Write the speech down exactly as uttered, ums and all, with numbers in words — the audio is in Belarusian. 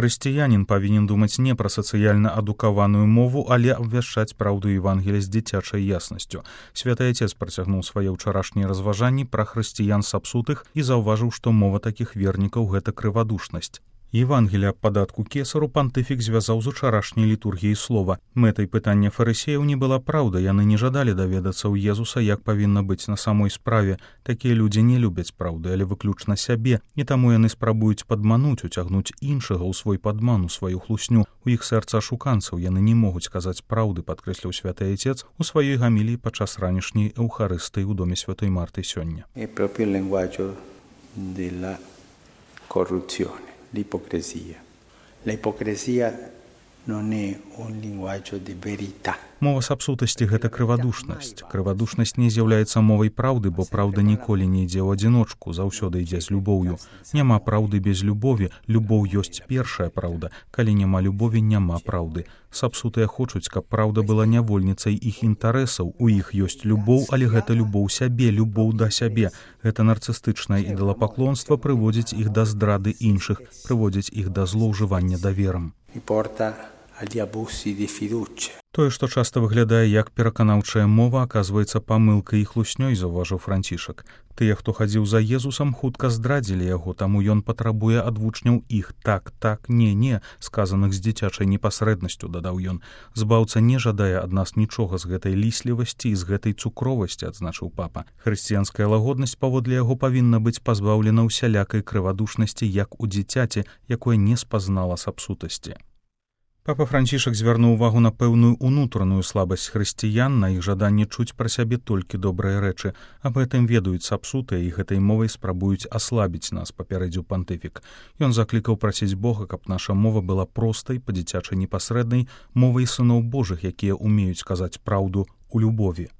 Хрысціянін павінен думаць не пра сацыяльна адукаваную мову, але абвяшчаць праўду Евангелія з дзіцячай яснасцю. Святы Отец працягнуў свае ўчарашнія разважанні пра хрысціян сапсутых і заўважыў, што мова такіх вернікаў — гэта крывадушнасць. Евангелія аб падатку кесару пантыфік звязаў з учарашняй літургіяй слова. Мэтай пытання фарысеяў не была праўда, яны не жадалі даведацца ў Езуса, як павінна быць на самой справе. Такія людзі не любяць праўды, але выключна сябе, і таму яны спрабуюць падмануць, уцягнуць іншага ў свой падман, у сваю хлусню. У іх сэрца ашуканцаў, яны не могуць казаць праўды, падкрэсліў Святы Отец у сваёй гаміліі падчас ранішняй эўхарыстыі ў доме Святой Марты сёння. L'ipocrisia. La ipocrisia non è un linguaggio di verità. Мова сапсутасці — гэта крывадушнасць. Крывадушнасць не з'яўляецца мовай праўды, бо праўда ніколі не ідзе ў адзіночку, заўсёды ідзе з любоўю. Няма праўды без любові, любоў ёсць першая праўда. Калі няма любові, няма праўды. Сапсутыя хочуць, каб праўда была нявольніцай іх інтарэсаў. У іх ёсць любоў, але гэта любоў сябе, любоў да сябе. Гэта нарцыстычнае ідалапаклонства прыводзіць іх да здрады іншых, прыводзіць іх да злоўжывання даверам. Тое, што часта выглядае як пераканаўчая мова, аказваецца памылкай і хлуснёй, заўважыў Францішак. Тыя, хто хадзіў за Езусам, хутка здрадзілі яго, таму ён патрабуе ад вучняў іх так, так, не, не, сказаных з дзіцячай непасрэднасцю, дадаў ён. Збаўца не жадае ад нас нічога з гэтай ліслівасці і з гэтай цукровасці, адзначыў папа. Хрысціянская лагоднасць, паводле яго, павінна быць пазбаўлена ўсялякай крывадушнасці, як у дзіцяці, якое не спазнала сапсутасці. Папа Францішак звярнуў увагу на пэўную унутраную слабасць хрысціян, на іх жаданне чуць пра сябе толькі добрыя рэчы. Аб гэтым ведаюць сапсутыя і гэтай мовай спрабуюць аслабіць нас, папярэдзіў пантыфік. Ён заклікаў прасіць Бога, каб наша мова была простай, па-дзіцячай непасрэднай, мовай сыноў Божых, якія ўмеюць казаць праўду ў любові.